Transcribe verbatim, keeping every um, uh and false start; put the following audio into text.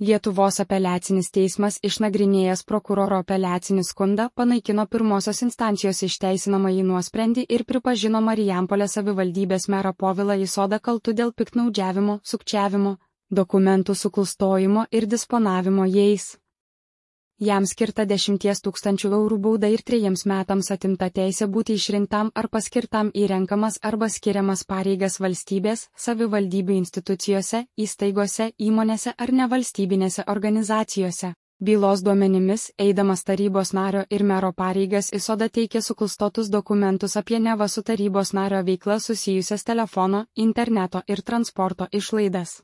Lietuvos apeliacinis teismas išnagrinėjęs prokuroro apeliacinį skundą panaikino pirmosios instancijos išteisinamąjį nuosprendį ir pripažino Marijampolės savivaldybės merą Povilą Isodą kaltu dėl piktnaudžiavimo, sukčiavimo, dokumentų suklastojimo ir disponavimo jais. Jam skirta dešimties tūkstančių eurų bauda ir trejiems metams atimta teisė būti išrinktam ar paskirtam į renkamas arba skiriamas pareigas valstybės, savivaldybių institucijose, įstaigose, įmonėse ar nevalstybinėse organizacijose. Bylos duomenimis, eidamas tarybos nario ir mero pareigas Isoda teikė suklastotus dokumentus apie neva su tarybos nario veikla susijusias telefono, interneto ir transporto išlaidas.